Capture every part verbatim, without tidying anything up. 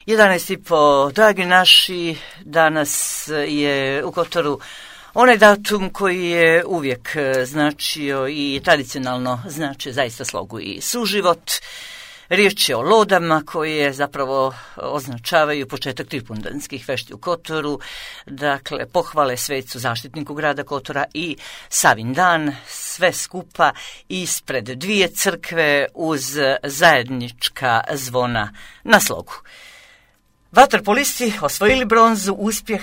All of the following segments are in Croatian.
jedanaest i po, dragi naši, danas je u Kotoru onaj datum koji je uvijek značio i tradicionalno značio zaista slogu i suživot. Riječ je o lodama koje zapravo označavaju početak tripundanskih fešti u Kotoru, dakle pohvale svecu zaštitniku grada Kotora i Savin dan, sve skupa ispred dvije crkve uz zajednička zvona na slogu. Vaterpolisti osvojili bronzu, uspjeh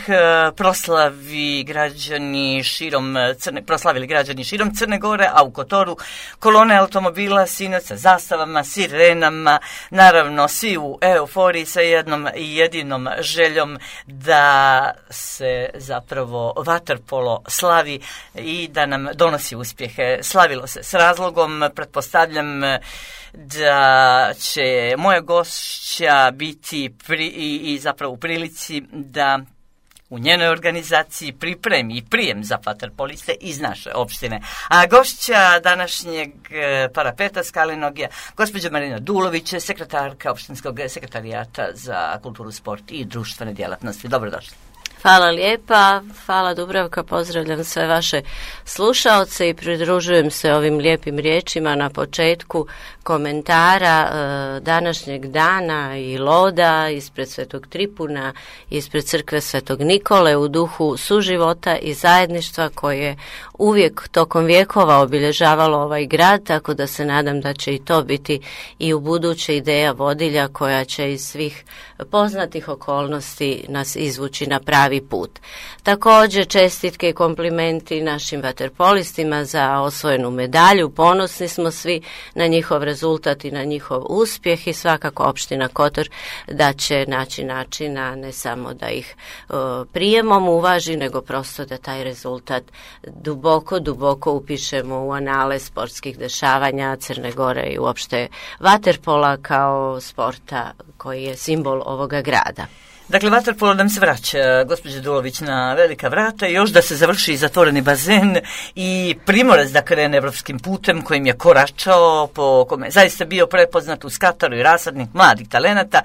proslavi građani širom Crne, proslavili građani širom Crne Gore, a u Kotoru kolone automobila sinoć sa zastavama, sirenama, naravno svi u euforiji sa jednom jedinom željom da se zapravo vaterpolo slavi i da nam donosi uspjehe. Slavilo se s razlogom, pretpostavljam da će moja gošća biti pri, i, i zapravo u prilici da u njenoj organizaciji pripremi i prijem za vaterpoliste iz naše opštine. A gošća današnjeg parapeta Skalinog je gospođa Marina Dulović, sekretarka opštinskog sekretarijata za kulturu, sport i društvene djelatnosti. Dobrodošli. Hvala lijepa, hvala Dubravka, pozdravljam sve vaše slušaoce i pridružujem se ovim lijepim riječima na početku komentara e, današnjeg dana i loda ispred Svetog Tripuna, ispred crkve Svetog Nikole u duhu suživota i zajedništva koje uvijek tokom vjekova obilježavalo ovaj grad, tako da se nadam da će i to biti i u buduće ideja vodilja koja će iz svih poznatih okolnosti nas izvući na pravi put. Također čestitke i komplimenti našim vaterpolistima za osvojenu medalju. Ponosni smo svi na njihov rezultat i na njihov uspjeh i svakako opština Kotor da će naći načina ne samo da ih e, prijemom uvaži, nego prosto da taj rezultat duboko, duboko upišemo u anale sportskih dešavanja Crne Gore i uopšte vaterpola kao sporta koji je simbol ovoga grada. Dakle, vaterpolo nam se vraća, gospođa Dulović, na velika vrata i još da se završi zatvoreni bazen i Primorac da krene evropskim putem kojim je koračao, po kome je zaista bio prepoznat uz Kataru i rasadnik mladih talenata.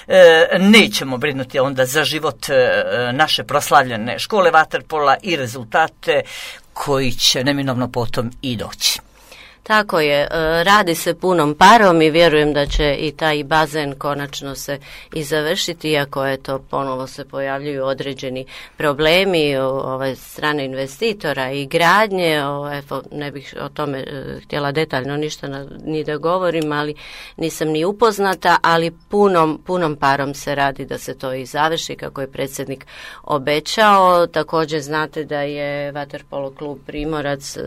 E, nećemo brinuti onda za život e, naše proslavljene škole vaterpola i rezultate koji će neminovno potom i doći. Tako je, radi se punom parom i vjerujem da će i taj bazen konačno se i završiti, iako eto ponovo se pojavljuju određeni problemi ove strane investitora i gradnje. Evo, ne bih o tome htjela detaljno ništa na, ni da govorim, ali nisam ni upoznata, ali punom, punom parom se radi da se to i završi kako je predsjednik obećao. Također znate da je vaterpolo klub Primorac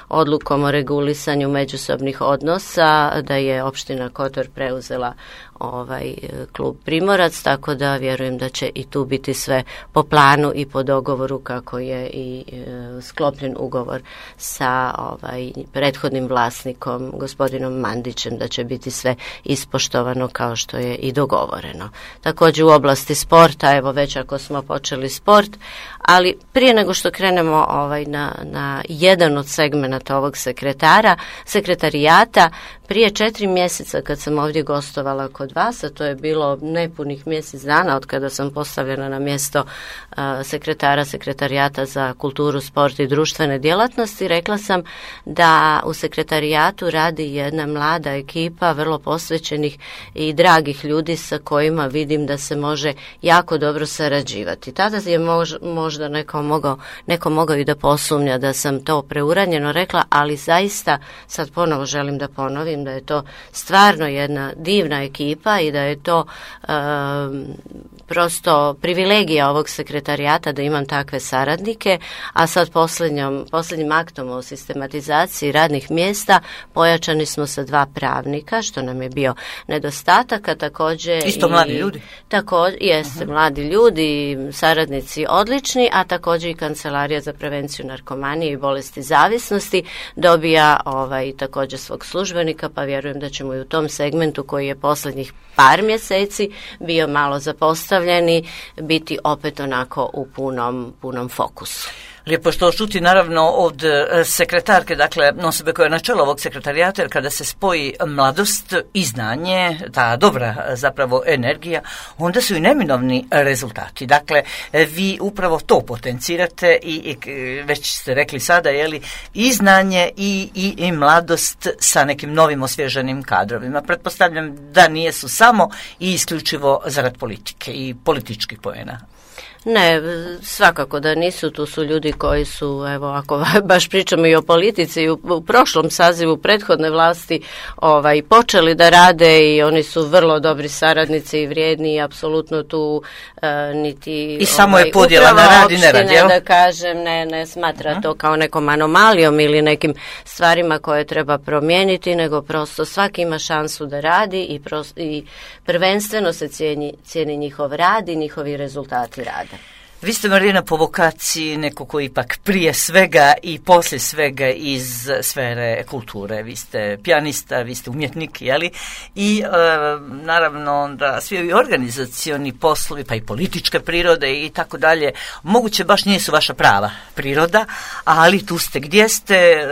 odlukom o regulisanju međusobnih odnosa, da je opština Kotor preuzela ovaj klub Primorac, tako da vjerujem da će i tu biti sve po planu i po dogovoru kako je i e, sklopljen ugovor sa ovaj prethodnim vlasnikom, gospodinom Mandićem, da će biti sve ispoštovano kao što je i dogovoreno. Također u oblasti sporta, evo već ako smo počeli sport, ali prije nego što krenemo ovaj na, na jedan od segmenata ovog sekretara, sekretarijata, prije četiri mjeseca kad sam ovdje gostovala kod vas, a to je bilo nepunih mjesec dana od kada sam postavljena na mjesto uh, sekretara sekretarijata za kulturu, sport i društvene djelatnosti, rekla sam da u sekretarijatu radi jedna mlada ekipa vrlo posvećenih i dragih ljudi sa kojima vidim da se može jako dobro sarađivati. Tada je mož, možda neko mogao, neko mogao i da posumnja da sam to preuranjeno rekla, ali zaista sad ponovo želim da ponovim da je to stvarno jedna divna ekipa i da je to um, prosto privilegija ovog sekretarijata da imam takve saradnike, a sad posljednjom, posljednjim aktom o sistematizaciji radnih mjesta pojačani smo sa dva pravnika, što nam je bio nedostatak, a također isto i, mladi ljudi. Također, jeste, uh-huh. mladi ljudi, saradnici odlični, a također i Kancelarija za prevenciju narkomanije i bolesti zavisnosti dobija ovaj također svog službenika, pa vjerujem da ćemo i u tom segmentu koji je posljednjih par mjeseci bio malo zapostavljeni, biti opet onako u punom, punom fokusu. Lijepo je što čuti naravno od sekretarke, dakle osobe koja je na čelu ovog sekretarijata, jer kada se spoji mladost i znanje, ta dobra zapravo energija, onda su i neminovni rezultati. Dakle, vi upravo to potencirate i, i već ste rekli sada, je li, i znanje i, i, i mladost sa nekim novim osvježenim kadrovima. Pretpostavljam da nije su samo i isključivo zarad politike i političkih poena. Ne, svakako da nisu, tu su ljudi koji su, evo, ako baš pričamo i o politici, u, u prošlom sazivu prethodne vlasti ovaj, počeli da rade i oni su vrlo dobri saradnici i vrijedni i apsolutno tu e, niti... I samo ovaj, je podjela na rad i ne rad, jel? Da kažem, ne, ne smatra uh-huh. to kao nekom anomalijom ili nekim stvarima koje treba promijeniti, nego prosto svaki ima šansu da radi i, prosto, i prvenstveno se cijeni, cijeni njihov rad i njihovi rezultati rada. Vi ste, Marijana, po vokaciji neko koji ipak prije svega i poslije svega iz sfere kulture. Vi ste pijanista, vi ste umjetnik, jeli? I e, naravno da svi ovi organizacioni poslovi, pa i političke prirode i tako dalje, moguće baš nisu vaša prava priroda, ali tu ste gdje ste,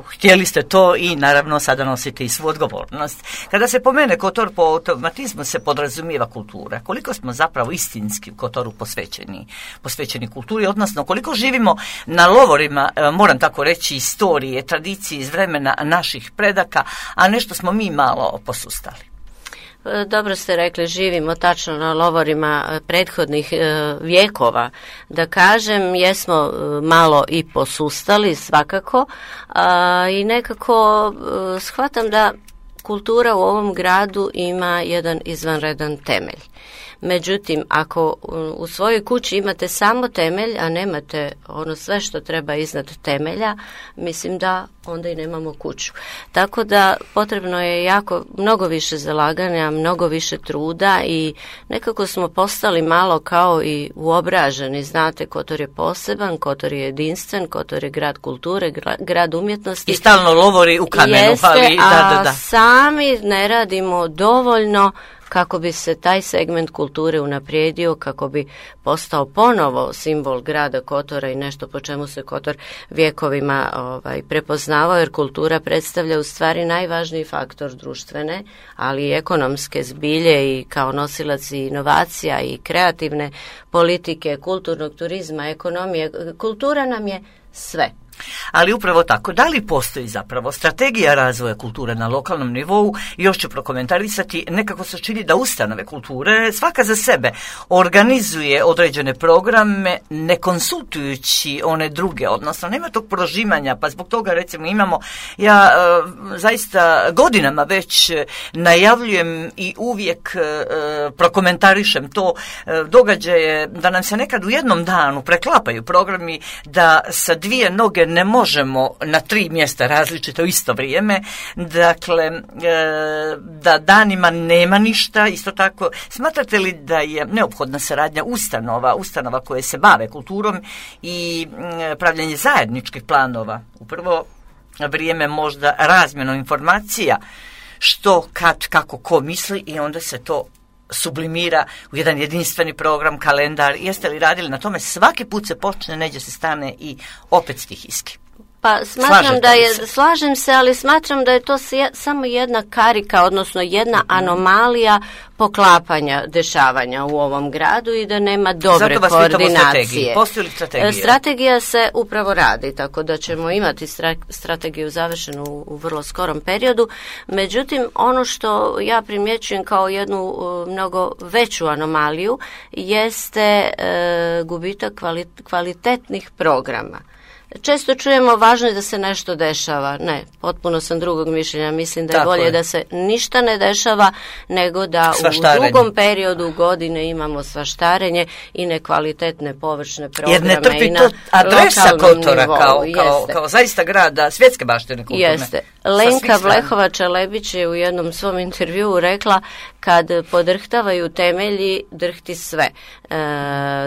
htjeli ste to i naravno sada nosite i svu odgovornost. Kada se pomene Kotor, po automatizmu se podrazumijeva kultura. Koliko smo zapravo istinski u Kotoru posvećeni? posvećeni kulturi, odnosno koliko živimo na lovorima, moram tako reći, istorije, tradicije iz vremena naših predaka, a nešto smo mi malo posustali. Dobro ste rekli, živimo tačno na lovorima prethodnih vjekova. Da kažem, jesmo malo i posustali svakako a, i nekako shvatam da kultura u ovom gradu ima jedan izvanredan temelj. Međutim, ako u svojoj kući imate samo temelj, a nemate ono sve što treba iznad temelja, mislim da onda i nemamo kuću. Tako da potrebno je jako mnogo više zalaganja, mnogo više truda i nekako smo postali malo kao i uobraženi. Znate, Kotor je poseban, Kotor je jedinstven, Kotor je grad kulture, grad umjetnosti. I stalno lovori u kamenu. Jeste, ali, da, da, da. A sami ne radimo dovoljno kako bi se taj segment kulture unaprijedio, kako bi postao ponovo simbol grada Kotora i nešto po čemu se Kotor vjekovima ovaj, prepoznavao, jer kultura predstavlja u stvari najvažniji faktor društvene, ali i ekonomske zbilje i kao nosilac i inovacija i kreativne politike, kulturnog turizma, ekonomije. Kultura nam je sve. Ali upravo tako, da li postoji zapravo strategija razvoja kulture na lokalnom nivou? Još ću prokomentarisati, nekako se čini da ustanove kulture svaka za sebe organizuje određene programe ne konsultujući one druge, odnosno nema tog prožimanja, pa zbog toga recimo imamo, ja e, zaista godinama već najavljujem i uvijek e, prokomentarišem to e, događaje da nam se nekad u jednom danu preklapaju programi, da sa dvije noge ne možemo na tri mjesta različito u isto vrijeme, dakle e, da danima nema ništa. Isto tako, smatrate li da je neophodna saradnja ustanova, ustanova koje se bave kulturom i e, pravljanje zajedničkih planova, upravo vrijeme možda razmjenom informacija, što, kad, kako, ko misli i onda se to sublimira u jedan jedinstveni program, kalendar. Jeste li radili na tome? Svaki put se počne, neđe se stane i opet stihijski. Pa smatram da je, slažem se, ali smatram da je to samo jedna karika, odnosno jedna anomalija poklapanja dešavanja u ovom gradu i da nema dobre koordinacije. Postoji li strategija? Strategija se upravo radi, tako da ćemo imati strategiju završenu u vrlo skorom periodu. Međutim, ono što ja primjećujem kao jednu mnogo veću anomaliju jeste e, gubitak kvalitetnih programa. Često čujemo važno je da se nešto dešava. Ne, potpuno sam drugog mišljenja. Mislim da je Tako bolje je. da se ništa ne dešava nego da u drugom periodu godine imamo svaštarenje i nekvalitetne površne programe. Jer ne trpi to adresa Kotora kao, kao, kao zaista grada svjetske baštine kulturne. Jeste. Lenka Vlehovača-Lebić je u jednom svom intervjuu rekla kad podrhtavaju temelji, drhti sve. E,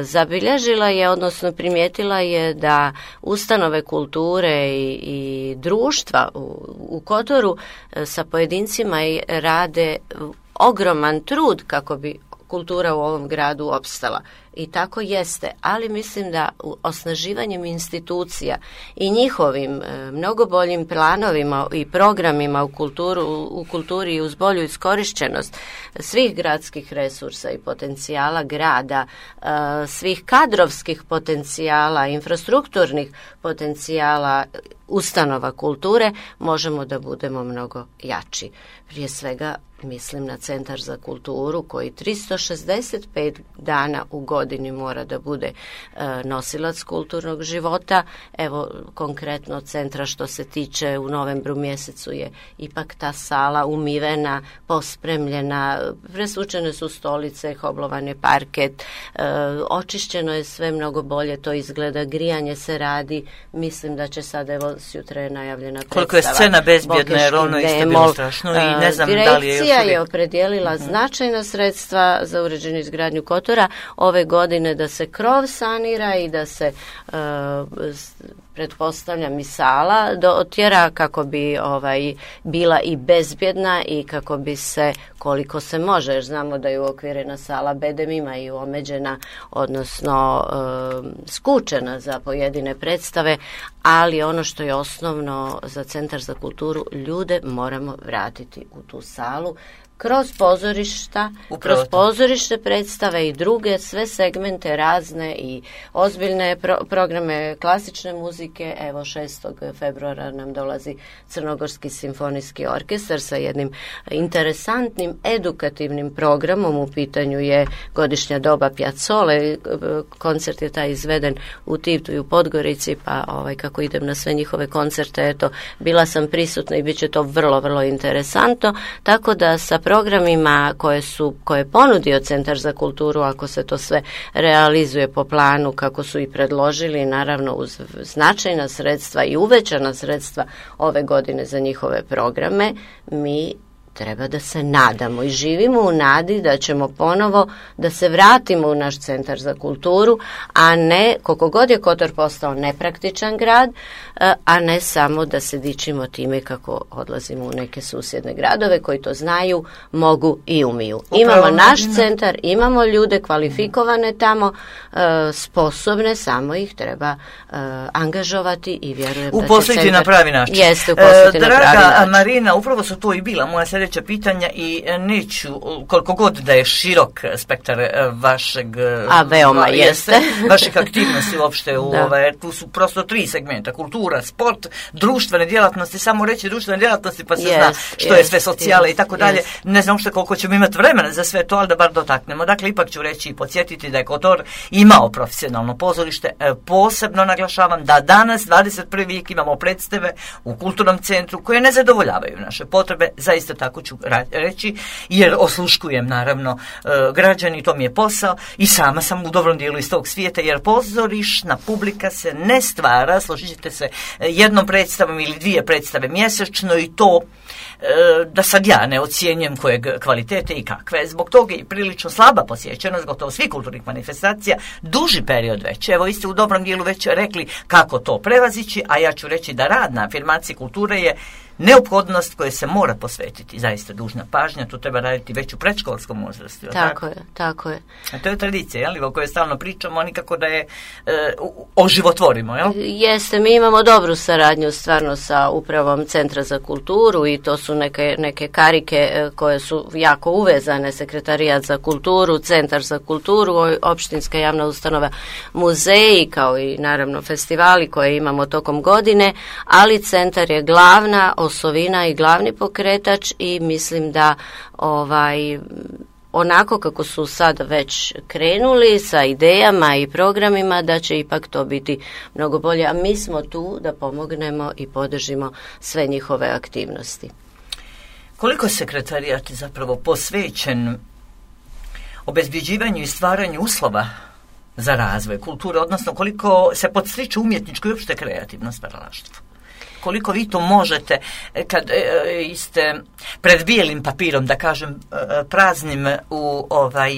zabilježila je, odnosno primijetila je da ustanove kulture i, i društva u, u Kotoru e, sa pojedincima rade ogroman trud kako bi kultura u ovom gradu opstala. I tako jeste, ali mislim da osnaživanjem institucija i njihovim e, mnogo boljim planovima i programima u, kulturu, u kulturi i uz bolju iskorišćenost svih gradskih resursa i potencijala grada, e, svih kadrovskih potencijala, infrastrukturnih potencijala ustanova kulture, možemo da budemo mnogo jači. Prije svega mislim na Centar za kulturu koji tristo šezdeset pet dana u godini mora da bude e, nosilac kulturnog života. Evo konkretno centra što se tiče u novembru mjesecu je ipak ta sala umivena, pospremljena, presvučene su stolice, hoblovan je parket, e, očišćeno je sve mnogo bolje, to izgleda, grijanje se radi, mislim da će sad, evo sjutra je najavljena predstava. Koliko je scena bezbjedna, jer ono isto bilo strašno i ne znam da li je još je opredijelila uh-huh. značajna sredstva za uređenje izgradnju Kotora ove godine da se krov sanira i da se uh, pretpostavljam i sala do otjera kako bi ovaj bila i bezbjedna i kako bi se koliko se može, jer znamo da je uokvirena sala bedemima i omeđena, odnosno uh, skučena za pojedine predstave, ali ono što je osnovno za Centar za kulturu, ljude moramo vratiti u tu salu kroz pozorišta, Upravo kroz pozorište predstave i druge, sve segmente razne i ozbiljne pro- programe klasične muzike. Evo šestog februara nam dolazi Crnogorski simfonijski orkestar sa jednim interesantnim edukativnim programom. U pitanju je godišnja doba Piazzole. Koncert je taj izveden u Tivtu i u Podgorici, pa ovaj, kako idem na sve njihove koncerte, eto, bila sam prisutna i bit će to vrlo, vrlo interesantno. Tako da sa programima koje su, koje je ponudio Centar za kulturu, ako se to sve realizuje po planu kako su i predložili, naravno uz značajna sredstva i uvećana sredstva ove godine za njihove programe, mi treba da se nadamo i živimo u nadi da ćemo ponovo da se vratimo u naš Centar za kulturu, a ne, koliko god je Kotor postao nepraktičan grad, a ne samo da se dičimo time kako odlazimo u neke susjedne gradove koji to znaju, mogu i umiju. Upravo imamo naš Marina. Centar, imamo ljude kvalifikovane tamo, sposobne, samo ih treba angažovati i vjerujem da će uposliti na pravi način. Jeste, uposliti e, na pravi način. Draga Marina, upravo su to i bila moja sljedeća pitanja i neću, koliko god da je širok spektar vašeg a veoma jeste, jeste vaših aktivnosti uopšte u ove, tu su prosto tri segmenta: kultura, sport, društvene djelatnosti. Samo reći društvene djelatnosti pa se yes, zna što yes, je sve socijale yes, i tako dalje. Yes. Ne znam uopšte koliko ćemo imati vremena za sve to, ali da bar dotaknemo. Dakle, ipak ću reći i podsjetiti da je Kotor imao profesionalno pozorište. Posebno naglašavam da danas, dvadeset prvi vijek, imamo predstave u kulturnom centru koje ne zadovoljavaju naše potrebe. Zaista tako ću reći, jer osluškujem naravno građani, to mi je posao i sama sam u dobrom dijelu iz tog svijeta, jer pozorišna publika se ne stvara, složit ćete se, jednom predstavom ili dvije predstave mjesečno i to da sad ja ne ocjenjujem kojeg kvalitete i kakve. Zbog toga je prilično slaba posjećenost gotovo svih kulturnih manifestacija duži period već. Evo, vi ste u dobrom dijelu već rekli kako to prevazići, a ja ću reći da rad na afirmaciji kulture je neophodnost koje se mora posvetiti, zaista dužna pažnja, to treba raditi već u predškolskom uzrastu. Tako, tako je, tako je. A to je tradicija, jel, o kojoj stalno pričamo, nikako da je e, oživotvorimo, jel? Jeste, mi imamo dobru saradnju stvarno sa upravom Centra za kulturu i to su neke, neke karike koje su jako uvezane, Sekretarijat za kulturu, Centar za kulturu, opštinska javna ustanova, muzeji, kao i naravno festivali koje imamo tokom godine, ali Centar je glavna osovina i glavni pokretač i mislim da ovaj onako kako su sad već krenuli sa idejama i programima, da će ipak to biti mnogo bolje, a mi smo tu da pomognemo i podržimo sve njihove aktivnosti. Koliko sekretarijat je zapravo posvećen obezbjeđivanju i stvaranju uslova za razvoj kulture, odnosno koliko se podstiče umjetničko i uopšte kreativno stvaralaštvo? Koliko vi to možete kad e, ste pred bijelim papirom, da kažem, e, praznim u ovaj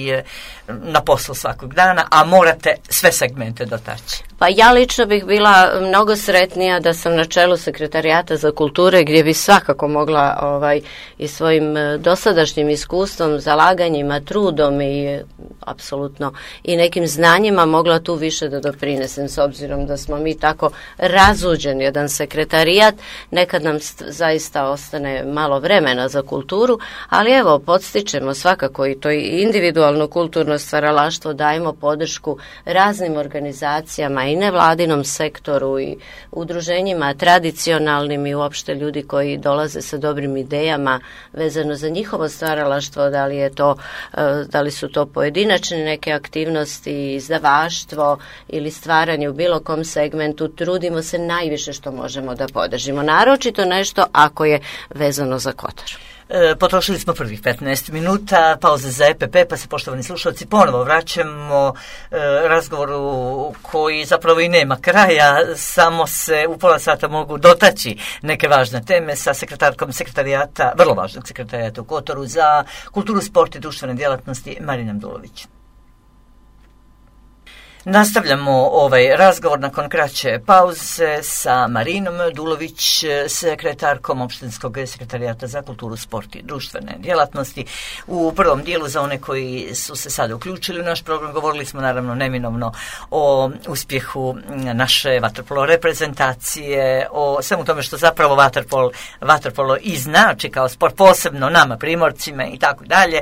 na poslu svakog dana, a morate sve segmente dotaći? Pa ja lično bih bila mnogo sretnija da sam na čelu Sekretarijata za kulture, gdje bi svakako mogla ovaj, i svojim dosadašnjim iskustvom, zalaganjima, trudom i apsolutno i nekim znanjima mogla tu više da doprinesem, s obzirom da smo mi tako razuđen jedan sekretarijat, nekad nam zaista ostane malo vremena za kulturu, ali evo, podstičemo svakako i to i individualno kulturno stvaralaštvo, dajemo podršku raznim organizacijama i nevladinom sektoru i udruženjima tradicionalnim i uopšte ljudi koji dolaze sa dobrim idejama vezano za njihovo stvaralaštvo, da li je to, da li su to pojedinačne neke aktivnosti, izdavaštvo ili stvaranje u bilo kom segmentu, trudimo se najviše što možemo da podržimo. Naročito nešto ako je vezano za Kotor. E, potrošili smo prvih petnaest minuta, pauze za E P P, pa se, poštovani slušalci, ponovo vraćamo e, razgovoru koji zapravo i nema kraja, samo se u pola sata mogu dotaći neke važne teme sa sekretarkom sekretarijata, vrlo važnog sekretarijata u Kotoru za kulturu, sport i društvene djelatnosti, Marinom Dulović. Nastavljamo ovaj razgovor nakon kraće pauze sa Marinom Dulović, sekretarkom Opštinskog sekretarijata za kulturu, sport i društvene djelatnosti. U prvom dijelu, za one koji su se sada uključili u naš program, govorili smo naravno neminovno o uspjehu naše vaterpolo reprezentacije, o svemu tome što zapravo vaterpolo, vaterpolo i znači kao sport, posebno nama primorcima i tako dalje.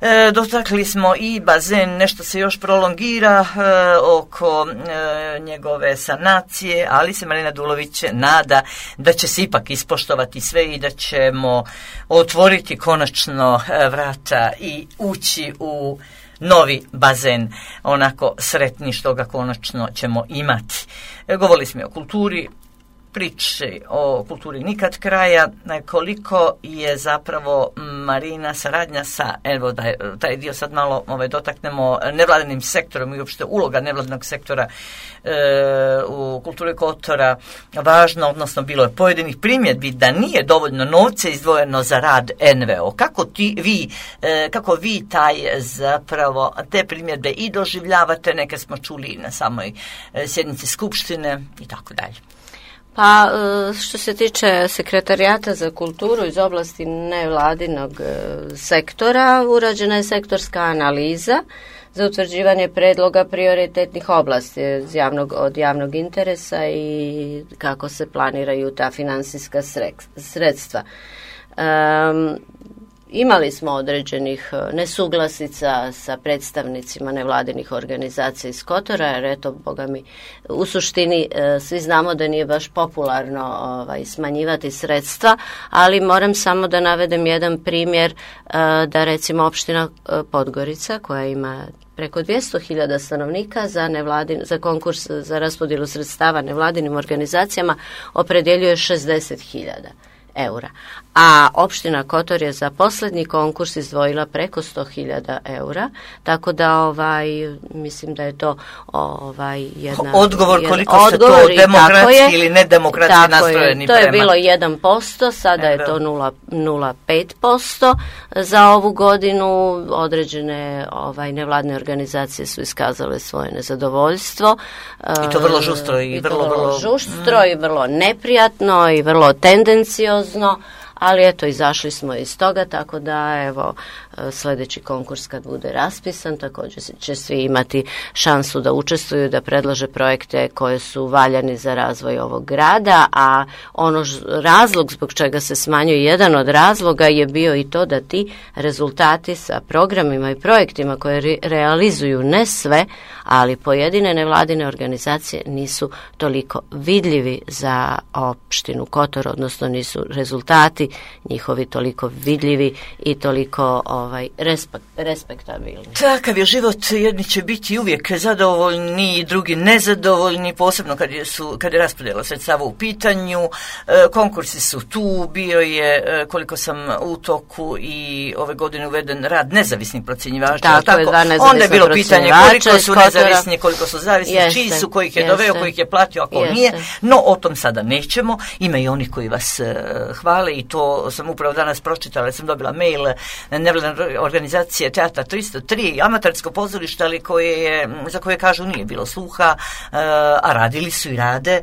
E, dotakli smo i bazen, nešto se još prolongira e, oko e, njegove sanacije, ali se Marina Dulović nada da će se ipak ispoštovati sve i da ćemo otvoriti konačno e, vrata i ući u novi bazen, onako sretni što ga konačno ćemo imati. E, govorili smo o kulturi, priče o kulturi nikad kraja, koliko je zapravo, Marina, saradnja sa, evo da taj dio sad malo ovaj, dotaknemo, nevladinim sektorom i uopšte uloga nevladinog sektora e, u kulturi Kotora važna, odnosno bilo je pojedinih primjedbi da nije dovoljno novca izdvojeno za rad N V O. Kako ti, vi, e, kako vi taj zapravo te primjedbe i doživljavate, neke smo čuli na samoj e, sjednici Skupštine i tako dalje. Pa što se tiče Sekretarijata za kulturu iz oblasti nevladinog sektora, urađena je sektorska analiza za utvrđivanje predloga prioritetnih oblasti iz javnog, od javnog interesa i kako se planiraju ta finansijska sredstva. Um, Imali smo određenih nesuglasica sa predstavnicima nevladinih organizacija iz Kotora, jer eto, boga mi, u suštini svi znamo da nije baš popularno ovaj, smanjivati sredstva, ali moram samo da navedem jedan primjer, da recimo opština Podgorica, koja ima preko dvjesto hiljada stanovnika, za, nevladin, za konkurs za raspodjelu sredstava nevladinim organizacijama opredjeljuje šezdeset hiljada eura. A opština Kotor je za posljednji konkurs izdvojila preko sto hiljada eura, tako da ovaj, mislim da je to ovaj, jedna... Odgovor jedan, koliko odgovor, se to demokratski ili nedemokratski nastrojeni to prema... To je bilo jedan posto, sada je to nula zarez pet posto za ovu godinu. Određene ovaj, nevladne organizacije su iskazale svoje nezadovoljstvo. I to vrlo žustro i, i vrlo, vrlo, vrlo žustro mm. i vrlo neprijatno i vrlo tendenciozno. Ali eto, izašli smo iz toga, tako da evo, sljedeći konkurs kad bude raspisan, također će svi imati šansu da učestvuju, da predlože projekte koje su valjani za razvoj ovog grada, a ono ž, razlog zbog čega se smanjuje, jedan od razloga je bio i to da ti rezultati sa programima i projektima koje re, realizuju ne sve, ali pojedine nevladine organizacije nisu toliko vidljivi za opštinu Kotor, odnosno nisu rezultati njihovi toliko vidljivi i toliko ovaj, respekt, respektabilni. Takav je život, jedni će biti uvijek zadovoljni, drugi nezadovoljni, posebno kad je, su, kad je raspodjela sredstava u pitanju. E, konkursi su tu, bio je, e, koliko sam u toku i ove godine uveden rad nezavisnih procjenjivača. Tako, tako? Je, dva nezavisna onda je bilo pitanje koliko su nezavisni, koliko su zavisni, jeste, čiji su, kojih je jeste, doveo, kojih je platio, ako jeste. Nije. No, o tom sada nećemo. Ima i onih koji vas e, hvale i to sam upravo danas pročitala, sam dobila mail nevladne organizacije Teatra tristo tri, amatersko pozorište, ali koje je, za koje kažu nije bilo sluha, a radili su i rade.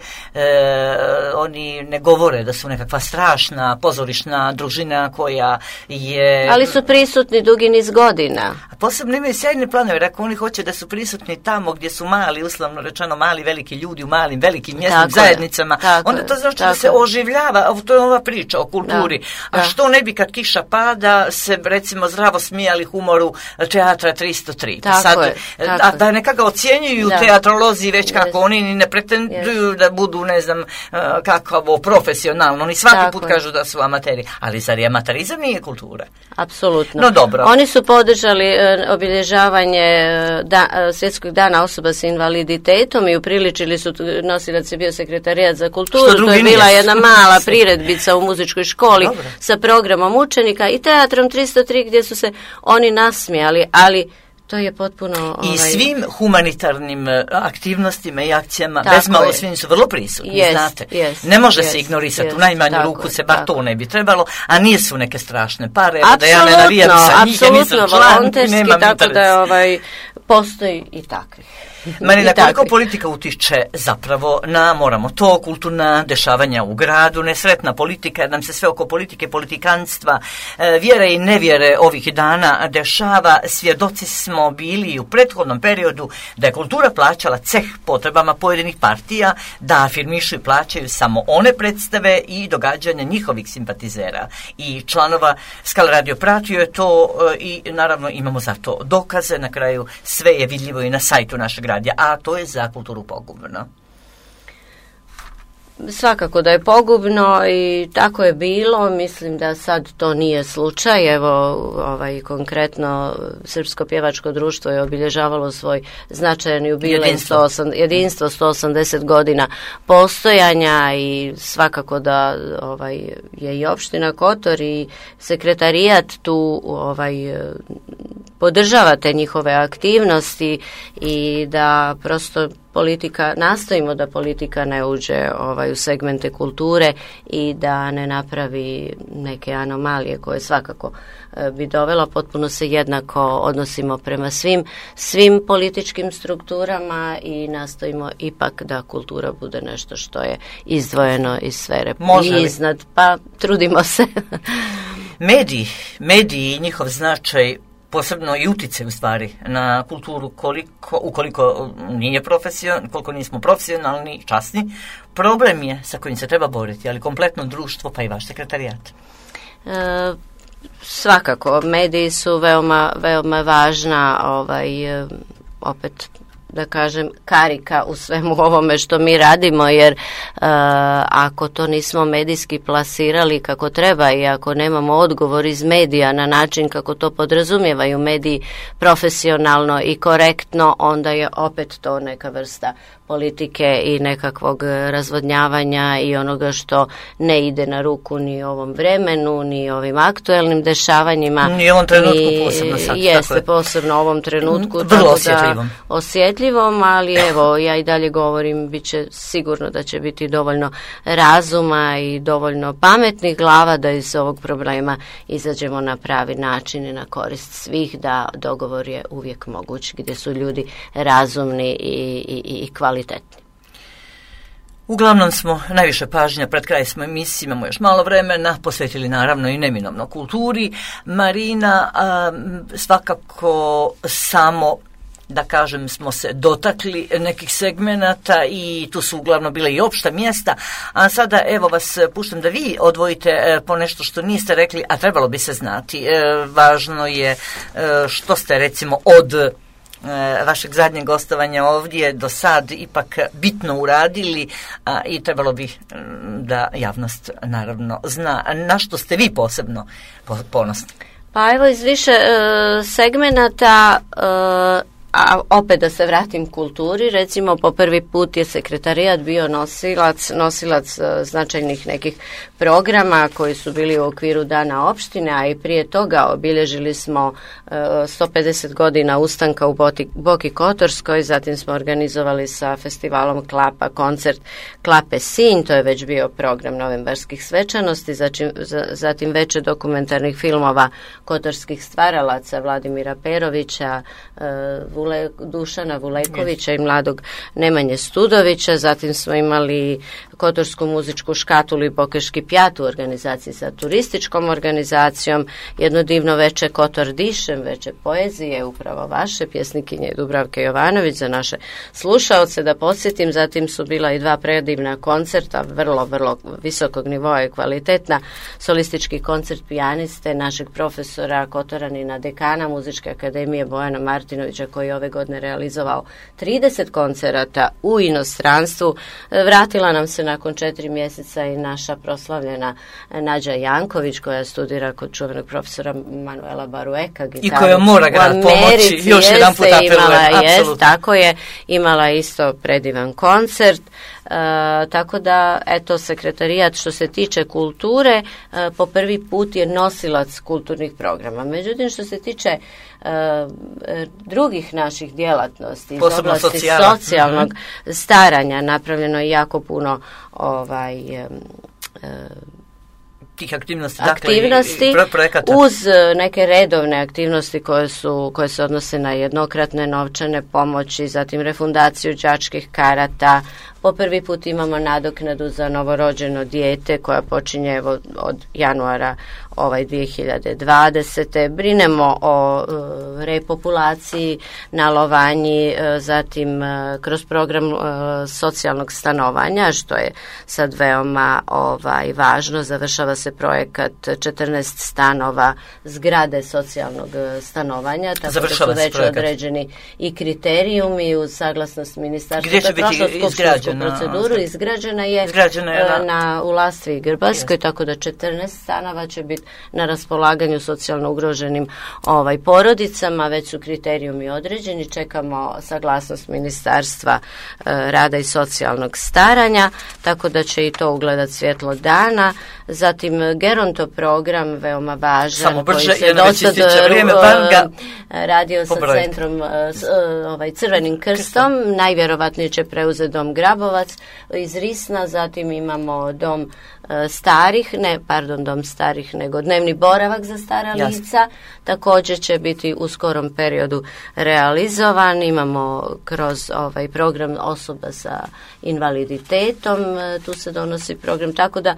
Oni ne govore da su nekakva strašna pozorišna družina koja je... Ali su prisutni dugi niz godina. A posebno imaju sjajne planove, rekao oni hoće da su prisutni tamo gdje su mali, uslovno rečeno mali veliki ljudi u malim velikim mjesnim tako zajednicama, je, onda to znači da se oživljava, to je ova priča o kulturi. Da, a da. Što ne bi kad kiša pada se recimo zdravo smijali humoru Teatra tristo tri. Tako sad, je, tako a da nekako ocjenjuju da. Teatrolozi već yes. kako oni ni ne pretenduju yes. da budu ne znam kakavo profesionalno, oni svaki tako put je. Kažu da su amateri, ali zar je amaterizam nije kultura? Apsolutno. No dobro. Oni su podržali e, obilježavanje da, Svjetskog dana osoba sa invaliditetom i upriličili su, nosilac je bio sekretarijat za kulturu, to je bila nije. Jedna mala priredbica u muzičkoj školi dobro. Sa programom učenika i Teatrom tristo tri gdje su se oni nasmijali, ali to je potpuno... I ovaj... svim humanitarnim aktivnostima i akcijama, tako bez malo svim su vrlo prisutni, yes, znate. Yes, ne može yes, se ignorisati, yes, u najmanju tako, ruku se bar tako. To ne bi trebalo, a nije su neke strašne pare, evo da ja ne navijam sa njih, ja nisam član, nemam tako interes. Da ovaj, postoji i takvi. Marina, koliko politika utiče zapravo na, moramo to, kulturna dešavanja u gradu, nesretna politika, jer nam se sve oko politike, politikanstva, vjere i nevjere ovih dana dešava. Svjedoci smo bili u prethodnom periodu da je kultura plaćala ceh potrebama pojedinih partija, da afirmišu i plaćaju samo one predstave i događanja njihovih simpatizera i članova. Skal radio pratio je to i naravno imamo za to dokaze, na kraju sve je vidljivo i na sajtu našeg radija, a to je za kulturu pogubno. Svakako da je pogubno i tako je bilo, mislim da sad to nije slučaj. Evo, ovaj, konkretno Srpsko pjevačko društvo je obilježavalo svoj značajan jubilej, jedinstvo. jedinstvo sto osamdeset godina postojanja i svakako da ovaj, je i opština Kotor i sekretarijat tu ovaj, podržavate njihove aktivnosti i da prosto politika, nastojimo da politika ne uđe ovaj, u segmente kulture i da ne napravi neke anomalije koje svakako e, bi dovelo. Potpuno se jednako odnosimo prema svim, svim političkim strukturama i nastojimo ipak da kultura bude nešto što je izdvojeno iz sfere i iznad, pa trudimo se. Mediji, mediji i njihov značaj, posebno i utjecaj u stvari na kulturu, koliko, ukoliko nije profesion, koliko nismo profesionalni, časni, problem je sa kojim se treba boriti, ali kompletno društvo pa i vaš sekretarijat. E, svakako, mediji su veoma, veoma važna, ovaj, opet da kažem, karika u svemu ovome što mi radimo, jer e, ako to nismo medijski plasirali kako treba i ako nemamo odgovor iz medija na način kako to podrazumijevaju mediji profesionalno i korektno, onda je opet to neka vrsta politike i nekakvog razvodnjavanja i onoga što ne ide na ruku ni ovom vremenu, ni ovim aktuelnim dešavanjima. Ni ovom trenutku ni, posebno sad. Jeste, posebno ovom trenutku. Vrlo osjetljivom. Da, osjetljivom, ali evo, ja i dalje govorim, bit će sigurno da će biti dovoljno razuma i dovoljno pametnih glava da iz ovog problema izađemo na pravi način i na korist svih, da dogovor je uvijek moguć, gdje su ljudi razumni i, i, i kvalitetni. Uglavnom smo najviše pažnja, pred kraj smo emisije, imamo još malo vremena, posvetili naravno i neminovno kulturi. Marina, a, svakako samo da kažem smo se dotakli nekih segmenata i tu su uglavnom bile i opšta mjesta, a sada evo vas puštam da vi odvojite e, po nešto što niste rekli, a trebalo bi se znati. E, važno je e, što ste recimo od vašeg zadnjeg gostovanja ovdje do sad ipak bitno uradili, a, i trebalo bi da javnost naravno zna na što ste vi posebno ponosni. Pa evo iz više e, segmenata e, a opet da se vratim kulturi, recimo po prvi put je sekretarijat bio nosilac, nosilac uh, značajnih nekih programa koji su bili u okviru Dana opštine, a i prije toga obilježili smo uh, sto pedeset godina ustanka u Boti, Boki Kotorskoj, zatim smo organizovali sa festivalom Klapa koncert Klape Sinj, to je već bio program novembarskih svečanosti, zatim, zatim veče dokumentarnih filmova kotorskih stvaralaca Vladimira Perovića, uh, Vule, Dušana Vulekovića yes. i mladog Nemanje Studovića, zatim smo imali Kotorsku muzičku škatulu i Bokeški pjat u organizaciji sa turističkom organizacijom, jedno divno veče Kotor dišem, veče poezije, upravo vaše, pjesnikinje Dubravke Jovanović za naše slušaoce, da podsjetim, zatim su bila i dva predivna koncerta, vrlo, vrlo visokog nivoa i kvalitetna, solistički koncert pijaniste našeg profesora Kotoranina, dekana Muzičke akademije Bojana Martinovića, koji je ove godine realizovao trideset koncerata u inostranstvu. Vratila nam se nakon četiri mjeseca i naša proslavljena Nađa Janković, koja studira kod čuvenog profesora Manuela Barueka gitaru. I koja mora grad pomoći, još jedan put apelujem, apsolutno. Tako je, imala isto predivan koncert. Uh, tako da, eto, sekretarijat što se tiče kulture uh, po prvi put je nosilac kulturnih programa. Međutim, što se tiče uh, drugih naših djelatnosti iz posebno oblasti socijala. socijalnog mm-hmm. staranja, napravljeno je jako puno ovaj uh, tih aktivnosti, aktivnosti dakle, i projekata. Uz neke redovne aktivnosti koje su koje se odnose na jednokratne novčane pomoći, zatim refundaciju đačkih karata. Po prvi put imamo nadoknadu za novorođeno dijete koja počinje evo od januara ovaj dvije hiljade dvadesete. Brinemo o uh, repopulaciji na Lovanji, uh, zatim uh, kroz program uh, socijalnog stanovanja, što je sad veoma ovaj važno. Završava se projekat četrnaest stanova zgrade socijalnog stanovanja, tako Završava da su već projekat. Određeni i kriterijumi uz saglasnost ministarstva. Gdje će biti izgrađena? Proceduru izgrađena je, izgrađena je na, na u Lastvi i Grbaljskoj, tako da četrnaest stanova će biti na raspolaganju socijalno ugroženim ovaj porodicama, već su kriterijumi određeni, čekamo saglasnost ministarstva e, rada i socijalnog staranja, tako da će i to ugledat svjetlo dana. Zatim Geronto program, veoma važan, samo brže, koji se dosad radio sa pobrojite. centrom s, ovaj, Crvenim krstom, najvjerovatnije će preuzeti dom Grabovac iz Risna, zatim imamo dom e, starih, ne, pardon, dom starih, nego dnevni boravak za stara Jasne. lica, također će biti u skorom periodu realizovan. Imamo kroz ovaj program osoba sa invaliditetom, e, tu se donosi program, tako da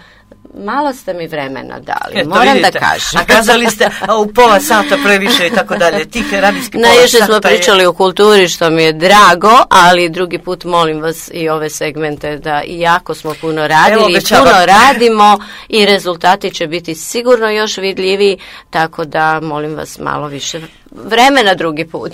malo ste mi vremena dali, Eto, moram vidite. da kažem. A kazali ste a u pola sata previše i tako dalje, tih radijskih pola Najviše sata smo pričali je... o kulturi, što mi je drago, ali drugi put molim vas i ove segmente da iako smo puno radili i puno radimo i rezultati će biti sigurno još vidljiviji, tako da molim vas malo više vremena drugi put.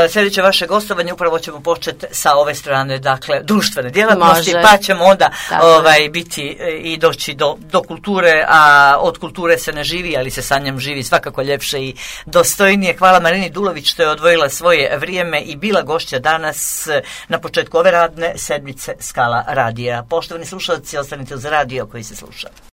Sljedeće vaše gostovanje upravo ćemo početi sa ove strane, dakle, društvene djelatnosti, Može. pa ćemo onda ovaj, biti i doći do, do kulture, a od kulture se ne živi, ali se sa njom živi svakako ljepše i dostojnije. Hvala Marini Dulović što je odvojila svoje vrijeme i bila gošća danas na početku ove radne sedmice Skala radija. Poštovani slušalci, ostanite uz radio koji se sluša.